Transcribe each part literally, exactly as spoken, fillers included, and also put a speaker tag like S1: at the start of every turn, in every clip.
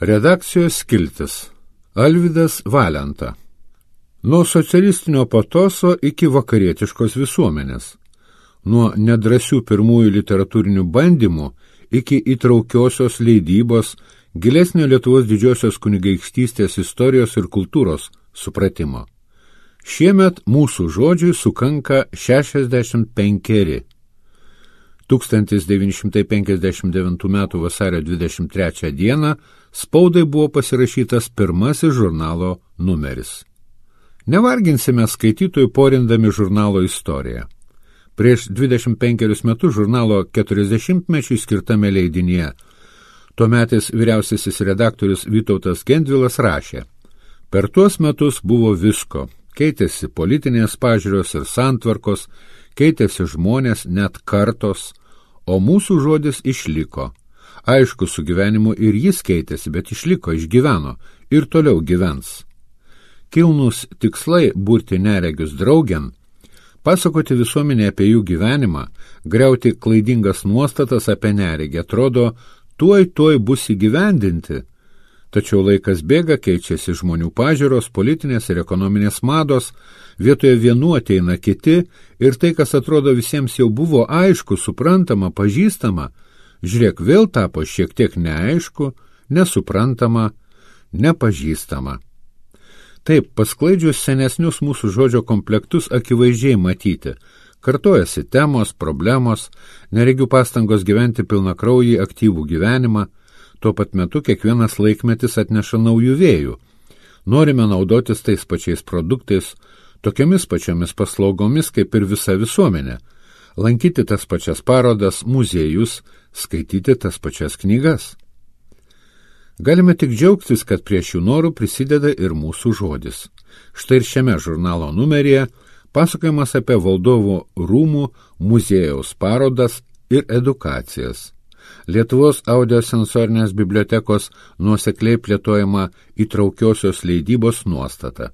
S1: Redakcijos skiltis. Alvydas Valenta. Nuo socialistinio patoso iki vakarietiškos visuomenės. Nuo nedrasių pirmųjų literatūrinių bandymų iki įtraukiosios leidybos, gilesnio Lietuvos didžiosios kunigaikštystės istorijos ir kultūros supratimo. Šiemet mūsų žodžiui sukanka šešiasdešimt penkeri. tūkstantis devyni šimtai penkiasdešimt devintų metų vasario dvidešimt trečią dieną spaudai buvo pasirašytas pirmasis žurnalo numeris. Nevarginsime skaitytojų porindami žurnalo istoriją. Prieš dvidešimt penkerius metus žurnalo keturiasdešimtmečiui skirtame leidinyje tuometis vyriausiasis redaktorius Vytautas Gendvilas rašė: per tuos metus buvo visko, keitėsi politinės pažiūros ir santvarkos, keitėsi žmonės, net kartos, o mūsų žodis išliko. Aišku, su gyvenimu ir jis keitėsi, bet išliko, išgyveno ir toliau gyvens. Kilnūs tikslai burti neregius draugen, pasakoti visuomenė apie jų gyvenimą, griauti klaidingas nuostatas apie neregį, atrodo, tuoj tuoj bus įgyvendinti. Tačiau laikas bėga, keičiasi žmonių pažiūros, politinės ir ekonominės mados, vietoje vienų ateina kiti ir tai, kas atrodo visiems jau buvo aišku, suprantama, pažįstama, žiūrėk, vėl tapo šiek tiek neaišku, nesuprantama, nepažįstama. Taip, pasklaidžius senesnius mūsų žodžio komplektus akivaizdžiai matyti, kartojasi temos, problemos, neregių pastangos gyventi pilnakraujį aktyvų gyvenimą. Tuo pat metu kiekvienas laikmetis atneša naujų vėjų. Norime naudotis tais pačiais produktais, tokiamis pačiomis paslaugomis kaip ir visa visuomenė, lankyti tas pačias parodas, muziejus, skaityti tas pačias knygas. Galime tik džiaugtis, kad prie šių norų prisideda ir mūsų žodis. Štai ir šiame žurnalo numeryje pasakojimas apie valdovų rūmų muziejaus parodas ir edukacijas. Lietuvos audiosensorinės bibliotekos nuosekliai plėtojama įtraukiosios leidybos nuostata.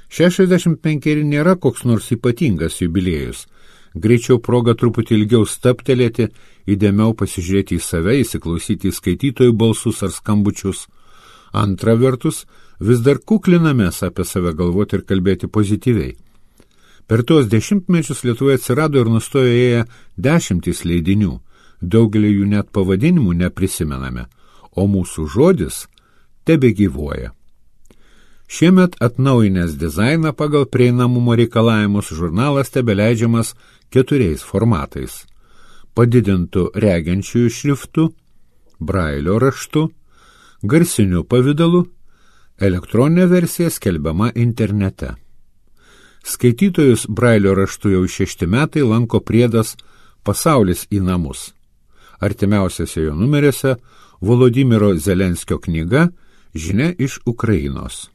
S1: šešiasdešimt penkeri nėra koks nors ypatingas jubiliejus. Greičiau proga truputį ilgiau staptelėti, įdėmiau pasižiūrėti į save, įsiklausyti į skaitytojų balsus ar skambučius. Antra vertus, vis dar kuklinamės apie save galvoti ir kalbėti pozityviai. Per tuos dešimtmečius Lietuvoje atsirado ir nustojo ėję dešimtys leidinių. Daugelį jų net pavadinimų neprisimename, o mūsų žodis tebegyvuoja. Šiemet atnaujinęs dizainą pagal prieinamumo reikalavimus žurnalas tebeleidžiamas keturiais formatais: padidintų regiančiųjų šriftų, brailio raštu, garsiniu pavidalu, elektroninė versija skelbiama internete. Skaitytojus brailio raštu jau šešti metai lanko priedas Pasaulis į namus. Artimiausiose jo numeriuose Volodymyro Zelenskio knyga Žinia iš Ukrainos.